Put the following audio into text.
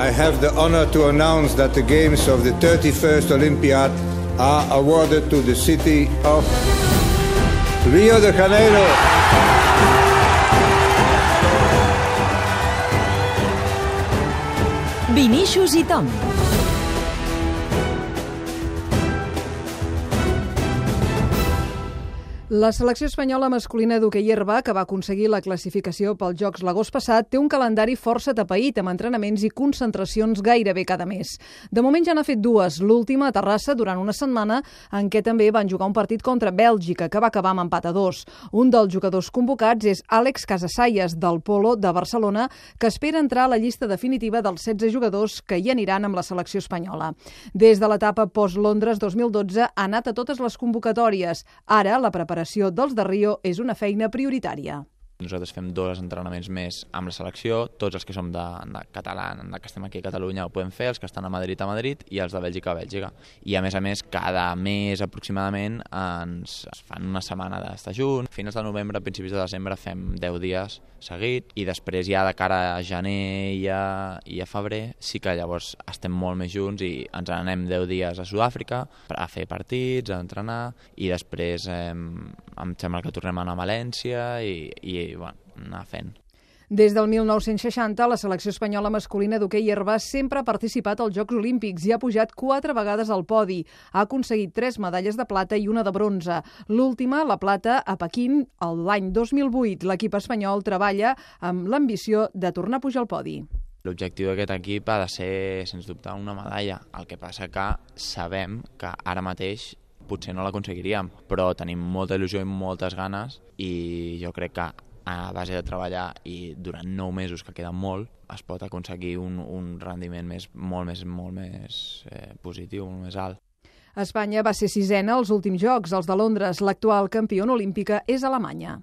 I have the honor to announce that the games of the 31st Olympiad are awarded to the city of Rio de Janeiro. Vinícius i Tom. La selecció espanyola masculina d'hoquei herba, que va aconseguir la classificació pels Jocs l'agost passat, té un calendari força atapeït, amb entrenaments i concentracions gairebé cada mes. De moment ja n'ha fet dues, l'última a Terrassa durant una setmana, en què també van jugar un partit contra Bèlgica, que va acabar amb empat a 2. Un dels jugadors convocats és Àlex Casasallas, del Polo de Barcelona, que espera entrar a la llista definitiva dels 16 jugadors que hi aniran amb la selecció espanyola. Des de l'etapa post-Londres 2012 ha anat a totes les convocatòries. Ara, la preparació dels de Rio és una feina prioritària. Nosaltres fem 2 entrenaments més amb la selecció, tots els que som de català, que estem aquí a Catalunya ho podem fer, els que estan a Madrid i els de Bèlgica a Bèlgica. I a més, cada mes aproximadament ens fan una setmana d'estar junts. A finals de novembre, a principis de desembre fem 10 dies seguit i després ja de cara a gener i a febrer sí que llavors estem molt més junts i ens anem 10 dies a Sud-àfrica a fer partits, a entrenar i després em sembla que tornem a anar a València i anar fent. Des del 1960, la selecció espanyola masculina d'hoquei herba sempre ha participat als Jocs Olímpics i ha pujat 4 vegades al podi. Ha aconseguit 3 medalles de plata i una de bronze. L'última, la plata, a Pequín, l'any 2008. L'equip espanyol treballa amb l'ambició de tornar a pujar al podi. L'objectiu d'aquest equip ha de ser, sens dubte, una medalla. El que passa que sabem que ara mateix potser no l'aconseguiríem, però tenim molta il·lusió i moltes ganes i jo crec que a base de treballar i durant 9 mesos, que queden molt, es pot aconseguir un rendiment molt més positiu, molt més alt. Espanya va ser 6ena als últims Jocs, els de Londres. L'actual campiona olímpica és Alemanya.